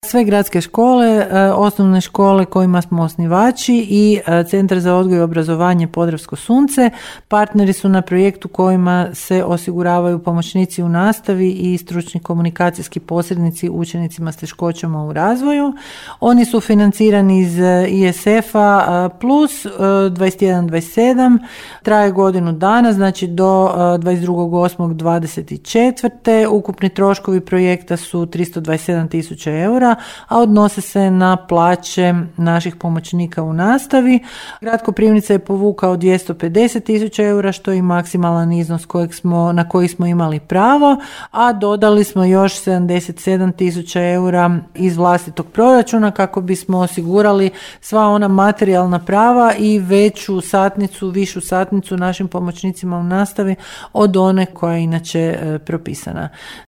Sve gradske škole, osnovne škole kojima smo osnivači i Centar za odgoj i obrazovanje Podravsko sunce partneri su na projektu kojima se osiguravaju pomoćnici u nastavi i stručni komunikacijski posrednici učenicima s teškoćama u razvoju. Oni su financirani iz ISF-a plus 21-27, traje godinu dana, znači do 22.8.24. Ukupni troškovi projekta su 327.000 eura, a odnose se na plaće naših pomoćnika u nastavi. Grad Koprivnica je povukao 250.000 eura, što je i maksimalan iznos na koji smo imali pravo, a dodali smo još 77.000 eura iz vlastitog proračuna kako bismo osigurali sva ona materijalna prava i višu satnicu našim pomoćnicima u nastavi od one koja je inače propisana.